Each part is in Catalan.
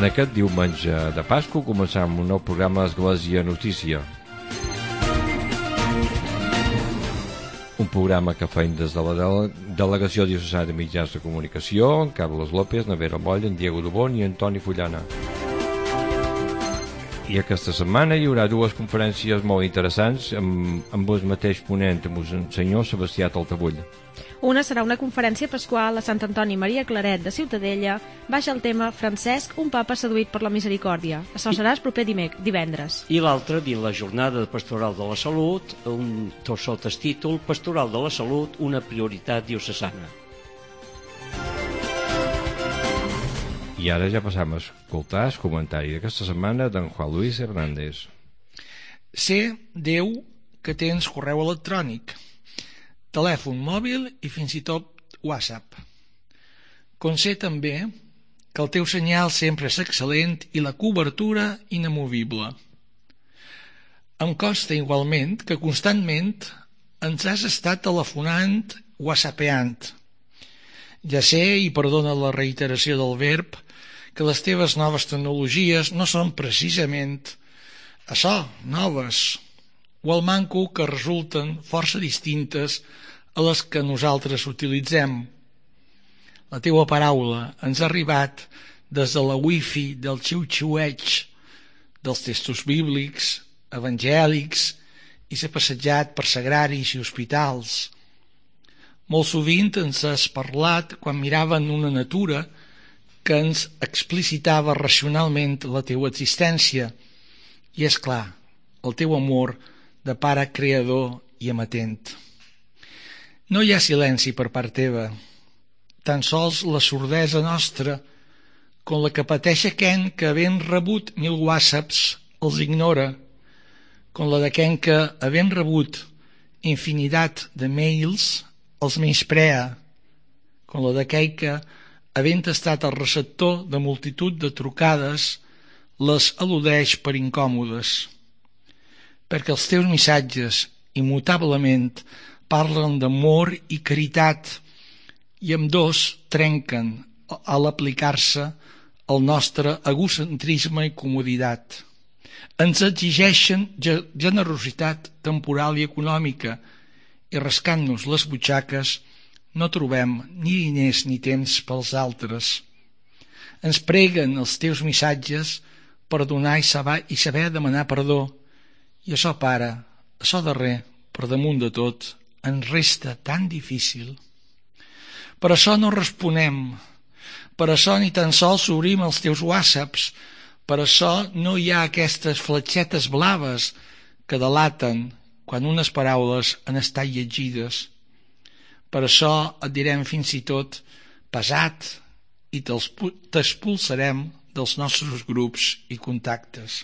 En aquest diumenge de Pasqua començam un nou programa d'Església Notícia. Un programa que feim des de la Delegació Diocesana de Mitjans de Comunicació, en Carles López, Nevera Moll, en Diego Dubón i Antoni Fullana. I aquesta setmana hi haurà dues conferències molt interessants amb el mateix ponent, amb el senyor Sebastià Taltabull. Una serà una conferència pasqual a Sant Antoni Maria Claret de Ciutadella, baix el tema Francesc, un papa seduït per la misericòrdia. Això serà el proper divendres. I l'altre, dins la jornada pastoral de la salut, sota el títol Pastoral de la Salut, una prioritat diocesana. I ara ja passam a escoltar el comentari d'aquesta setmana d'en Juan Luis Hernández. Sé, Déu, que tens correu electrònic, telèfon mòbil i fins i tot WhatsApp. Com sé també que el teu senyal sempre és excel·lent i la cobertura inamovible. Em consta igualment que constantment ens has estat telefonant, whatsappeant. Ja sé, i perdona la reiteració del verb, que les teves noves tecnologies no són precisament això, noves, o el manco que resulten força distintes a les que nosaltres utilitzem. La teua paraula ens ha arribat des de la wifi del xiu-xiueig, dels textos bíblics, evangèlics, i s'ha passejat per sagraris i hospitals. Molt sovint ens has parlat quan miraven una natura que ens explicitava racionalment la teua existència, i és clar, el teu amor de pare creador i amatent. No hi ha silenci per part teva, tan sols la sordesa nostra, com la que pateix aquell que, havent rebut 1000 whatsapps, els ignora, com la d'aquell que, havent rebut infinitat de mails, els menysprea, com la d'aquell que, havent estat el receptor de multitud de trucades, les al·ludeix per incòmodes. Perquè els teus missatges, immutablement, parlen d'amor i caritat, i ambdós trenquen a l'aplicar-se al nostre egocentrisme i comoditat. Ens exigeixen generositat temporal i econòmica, i rascant-nos les butxaques no trobem ni diners ni temps pels altres. Ens preguen els teus missatges per donar i saber demanar perdó, i això, pare, això darrer, per damunt de tot, ens resta tan difícil. Per això no responem, per això ni tan sols obrim els teus whatsapps, per això no hi ha aquestes fletxetes blaves que delaten quan unes paraules han estat llegides. Per això et direm fins i tot pesat i t'expulsarem dels nostres grups i contactes.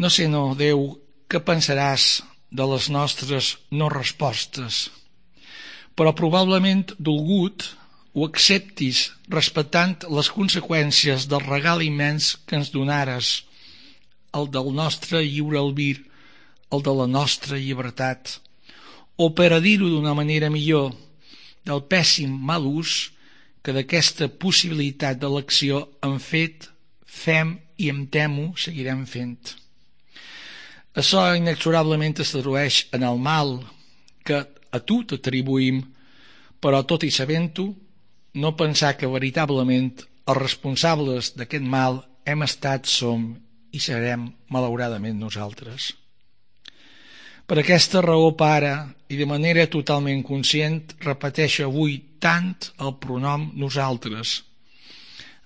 No sé, no, Déu, què pensaràs de les nostres no respostes, però probablement dolgut ho acceptis respectant les conseqüències del regal immens que ens donares, el del nostre lliure albir, el de la nostra llibertat, o per a dir-ho d'una manera millor, del pèssim mal ús que d'aquesta possibilitat d'elecció hem fet, fem i em temo seguirem fent. Això inexorablement es tradueix en el mal que a tu t'atribuïm, però tot i sabent-ho, no pensar que veritablement els responsables d'aquest mal hem estat, som i serem malauradament nosaltres. Per aquesta raó, pare, i de manera totalment conscient, repeteixo avui tant el pronom nosaltres.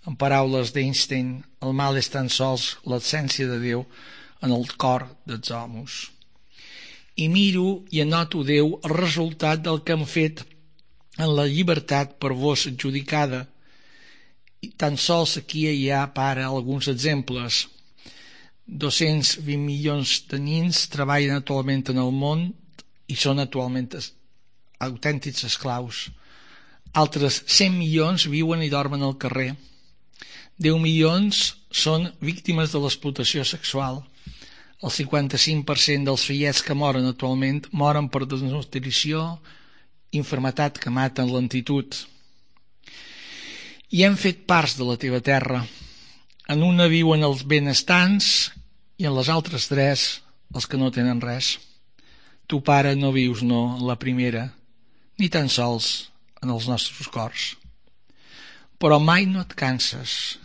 En paraules d'Einstein, el mal és tan sols l'absència de Déu en el cor dels homes. I miro i anoto, Déu, el resultat del que hem fet en la llibertat per vos adjudicada. I tan sols aquí hi ha, pare, alguns exemples. 220 milions de nens treballen actualment en el món i són actualment autèntics esclaus. Altres 100 milions viuen i dormen al carrer. 10 milions són víctimes de l'explotació sexual. El 55% dels fillets que moren actualment moren per desnutrició, infermetat que mata en lentitud. I hem fet parts de la teva terra. En una viuen els benestants i en les altres 3 els que no tenen res. Tu, pare, no vius, no, en la primera, ni tan sols en els nostres cors. Però mai no et canses,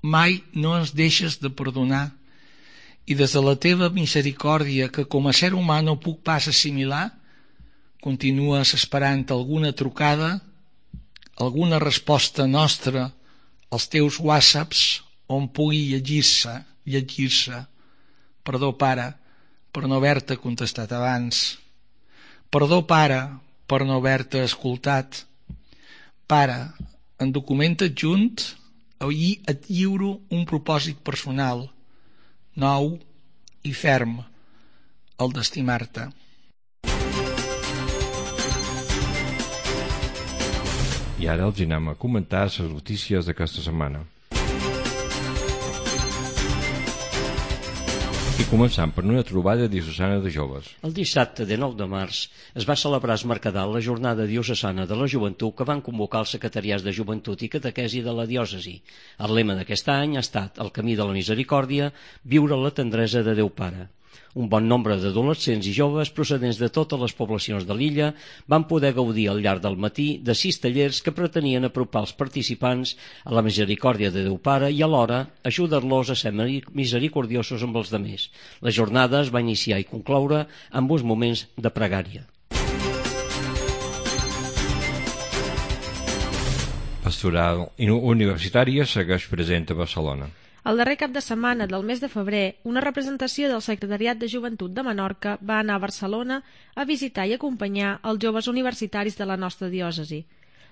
mai no ens deixes de perdonar, i des de la teva misericòrdia, que com a ser humà no puc pas assimilar, continues esperant alguna trucada, alguna resposta nostra als teus whatsapps on pugui llegir-se. Perdó, pare, per no haver-te contestat abans. Perdó, pare, per no haver-te escoltat. Pare, en document adjunt, ahir et lliuro un propòsit personal, nou i ferm, el d'estimar-te. I ara els anem a comentar les notícies d'aquesta setmana. I començant per una trobada diocesana de joves. El dissabte de 9 de març es va celebrar a Es Mercadal la jornada diocesana de la joventut que van convocar els secretariats de joventut i catequesi de la diòcesi. El lema d'aquest any ha estat el camí de la misericòrdia, viure la tendresa de Déu Pare. Un bon nombre d'adolescents i joves procedents de totes les poblacions de l'illa van poder gaudir al llarg del matí de 6 tallers que pretenien apropar els participants a la misericòrdia de Déu Pare i alhora ajudar-los a ser misericordiosos amb els demés. La jornada es va iniciar i concloure amb uns moments de pregària. Pastoral Universitària segueix present a Barcelona. El darrer cap de setmana del mes de febrer, una representació del Secretariat de Joventut de Menorca va anar a Barcelona a visitar i acompanyar els joves universitaris de la nostra diòcesi.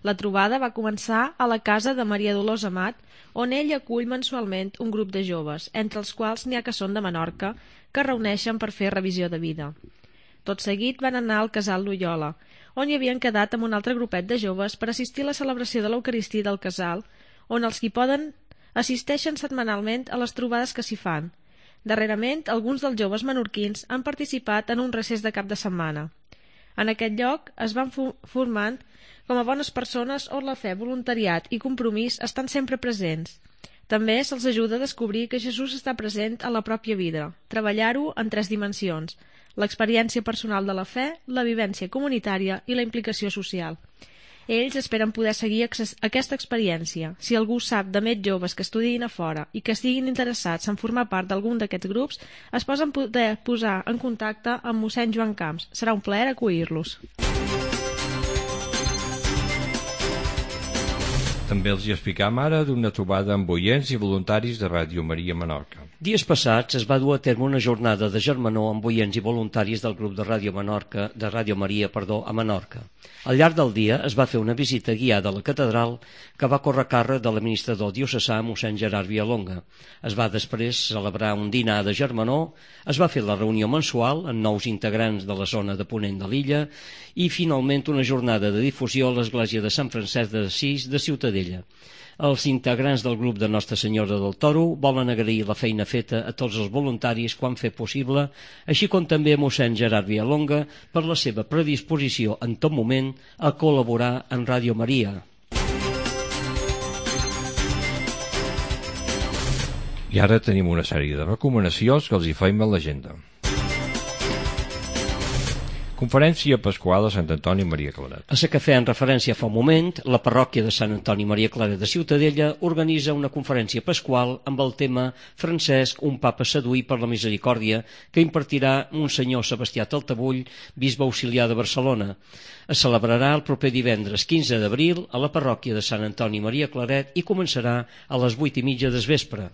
La trobada va començar a la casa de Maria Dolors Amat, on ell acull mensualment un grup de joves, entre els quals n'hi ha que són de Menorca, que es reuneixen per fer revisió de vida. Tot seguit van anar al casal Loyola, on hi havien quedat amb un altre grupet de joves per assistir a la celebració de l'Eucaristia del casal, on els qui poden assisteixen setmanalment a les trobades que s'hi fan. Darrerament, alguns dels joves menorquins han participat en un recés de cap de setmana. En aquest lloc es van formant com a bones persones on la fe, voluntariat i compromís estan sempre presents. També se'ls ajuda a descobrir que Jesús està present a la pròpia vida, treballar-ho en 3 dimensions: l'experiència personal de la fe, la vivència comunitària i la implicació social. Ells esperen poder seguir aquesta experiència. Si algú sap de més joves que estudiïn a fora i que estiguin interessats en formar part d'algun d'aquests grups, es poden poder posar en contacte amb mossèn Joan Camps. Serà un plaer acollir-los. També els hi explicam ara d'una trobada amb oients i voluntaris de Ràdio Maria Menorca. Dies passats es va dur a terme una jornada de germanor amb oients i voluntaris del grup de Ràdio Maria a Menorca. Al llarg del dia es va fer una visita guiada a la catedral que va córrer a càrrec de l'administrador diocesà mossèn Gerard Villalonga. Es va després celebrar un dinar de germanor, es va fer la reunió mensual amb nous integrants de la zona de ponent de l'illa i finalment una jornada de difusió a l'església de Sant Francesc d'Assís de Ciutadella. Els integrants del grup de Nostra Senyora del Toro volen agrair la feina feta a tots els voluntaris que ho han fet possible, així com també a mossèn Gerard Villalonga per la seva predisposició en tot moment a col·laborar en Ràdio Maria. I ara tenim una sèrie de recomanacions que els hi feim a l'agenda. Conferència Pasqual a Sant Antoni Maria Claret. A la que feien referència fa un moment, la parròquia de Sant Antoni Maria Claret de Ciutadella organitza una conferència pasqual amb el tema Francesc, un papa seduït per la misericòrdia, que impartirà Monsenyor Sebastià Taltabull, bisbe auxiliar de Barcelona. Es celebrarà el proper divendres 15 d'abril a la parròquia de Sant Antoni Maria Claret i començarà a les 8:30 del vespre.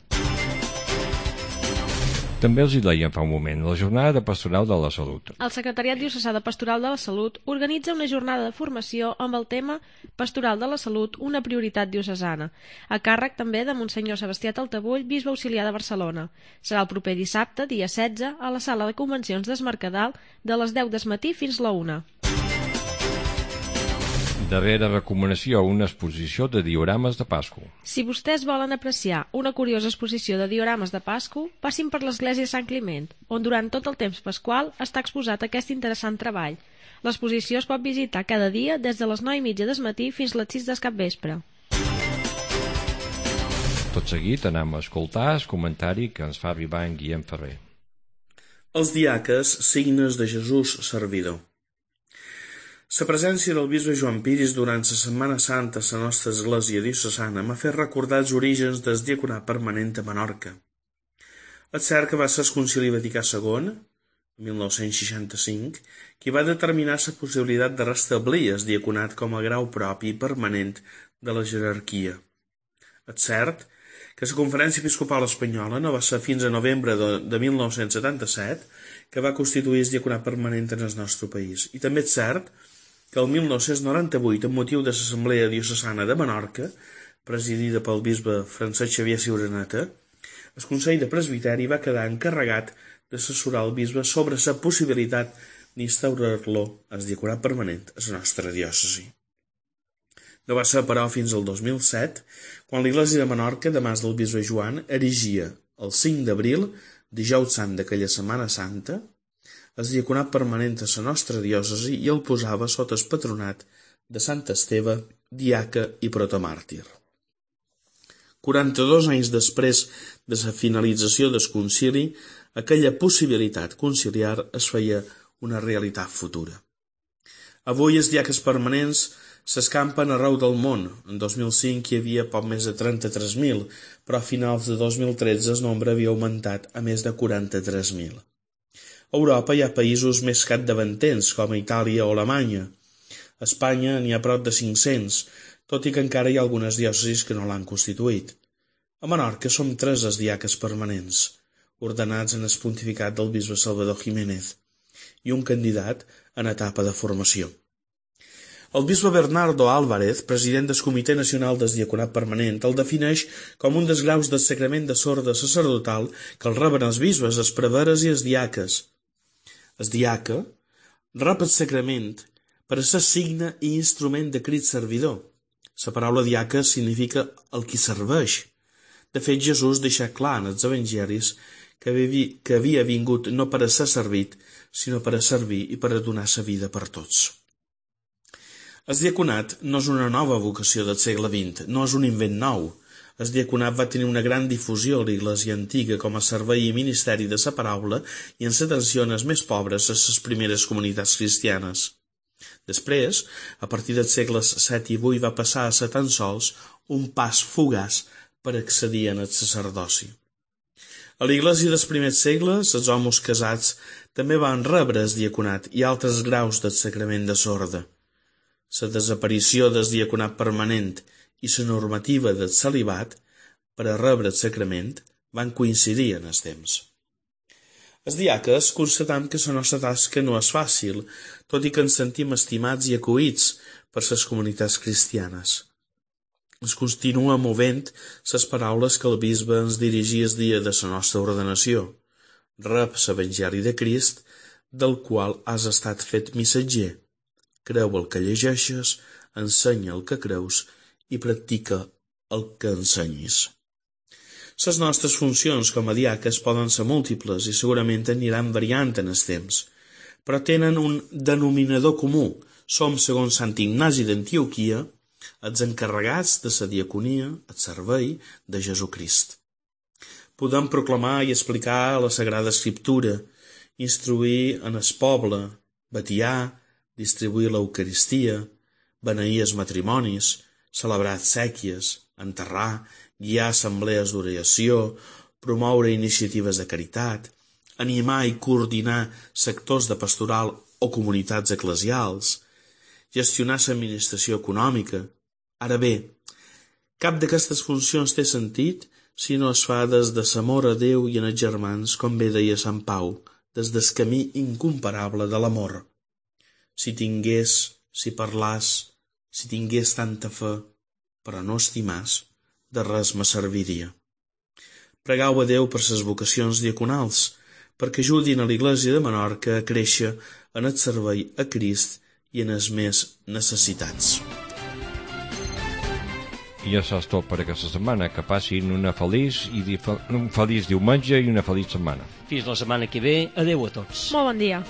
També els hi deien fa un moment, la jornada de Pastoral de la Salut. El Secretariat Diocesà de Pastoral de la Salut organitza una jornada de formació amb el tema Pastoral de la Salut, una prioritat diocesana, a càrrec també de Monsenyor Sebastià Taltabull, bisbe auxiliar de Barcelona. Serà el proper dissabte, dia 16, a la sala de convencions d'Es Mercadal, de les 10 del matí fins la 1. Darrera recomanació, una exposició de diorames de Pasco. Si vostès volen apreciar una curiosa exposició de diorames de Pasco, passin per l'església Sant Climent, on durant tot el temps pasqual està exposat aquest interessant treball. L'exposició es pot visitar cada dia des de les 9:30 del matí fins les 6 del capvespre. Tot seguit anem a escoltar el comentari que ens fa arribar en Guillem Ferrer. Els diaques, signes de Jesús servidor. La presència del bisbe Joan Piris durant la Setmana Santa a la nostra església diocesana m'ha fet recordar els orígens del diaconat permanent a Menorca. És cert que va ser el Concili Vaticà II, en 1965, qui va determinar la possibilitat de restablir el diaconat com a grau propi i permanent de la jerarquia. És cert que la Conferència Episcopal Espanyola no va ser fins a novembre de 1977 que va constituir el diaconat permanent en el nostre país. I també és cert que el 1998, amb motiu de l'Assemblea Diocesana de Menorca, presidida pel bisbe Francesc Xavier Ciuraneta, el Consell de Presbiteri va quedar encarregat d'assessorar el bisbe sobre la possibilitat d'instaurar-lo el diaconat permanent a la nostra diòcesi. No va ser, però, fins al 2007, quan l'Església de Menorca, de mans del bisbe Joan, erigia el 5 d'abril, dijous sant d'aquella Setmana Santa, el diaconat permanent a la nostra diòcesi i el posava sota el patronat de Sant Esteve, diaca i protomàrtir. 42 anys després de la finalització del concili, aquella possibilitat conciliar es feia una realitat futura. Avui els diaques permanents s'escampen arreu del món. En 2005 hi havia poc més de 33.000, però a finals de 2013 el nombre havia augmentat a més de 43.000. A Europa hi ha països més capdavanters, com Itàlia o Alemanya. A Espanya n'hi ha prop de 500, tot i que encara hi ha algunes diòcesis que no l'han constituït. A Menorca som 3 els diaques permanents, ordenats en el pontificat del bisbe Salvador Jiménez, i un candidat en etapa de formació. El bisbe Bernardo Álvarez, president del Comitè Nacional del Diaconat Permanent, el defineix com un dels graus del sacrament de sorda sacerdotal que el reben els bisbes, els preveres i els diaques. El diaca rep el sacrament per a ser signe i instrument de crit servidor. La paraula diaca significa el qui serveix. De fet, Jesús deixa clar en els evangelis que havia vingut no per a ser servit, sinó per a servir i per a donar sa vida per tots. El diaconat no és una nova vocació del segle XX, no és un invent nou. El diaconat va tenir una gran difusió a l'Església antiga com a servei i ministeri de la paraula i en l'atenció als més pobres a les primeres comunitats cristianes. Després, a partir dels segles VII i VIII, va passar a ser tan sols un pas fugaç per accedir al sacerdoci. A l'Església dels primers segles, els homes casats també van rebre el diaconat i altres graus del sacrament de sorda. La desaparició del diaconat permanent i la normativa del celibat per a rebre el sacrament van coincidir en el temps. Els diaques constatam que la nostra tasca no és fàcil, tot i que ens sentim estimats i acollits per les comunitats cristianes. Ens continua movent les paraules que el bisbe ens dirigia el dia de la nostra ordenació. Rep l'Evangeli de Crist, del qual has estat fet missatger. Creu el que llegeixes, ensenya el que creus i practica el que ensenyis. Les nostres funcions com a diaques poden ser múltiples i segurament aniran variant en el temps, però tenen un denominador comú. Som, segons Sant Ignasi d'Antioquia, els encarregats de la diaconia, el servei de Jesucrist. Podem proclamar i explicar la Sagrada Escriptura, instruir en el poble, batiar, distribuir l'Eucaristia, beneir els matrimonis, celebrar sèquies, enterrar, guiar assemblees d'oració, promoure iniciatives de caritat, animar i coordinar sectors de pastoral o comunitats eclesials, gestionar l'administració econòmica. Ara bé, cap d'aquestes funcions té sentit si no es fa des de l'amor a Déu i en els germans, com bé deia Sant Pau, des del camí incomparable de l'amor. Si tingués, si parlàs, si tingués tanta fe, però no estimàs, de res me serviria. Pregau a Déu per ses vocacions diaconals, perquè ajudin a l'Església de Menorca a créixer en el servei a Crist i en els més necessitats. I això és tot per aquesta setmana. Que passin un feliç diumenge i una feliç setmana. Fins la setmana que ve. Adéu a tots. Molt bon dia.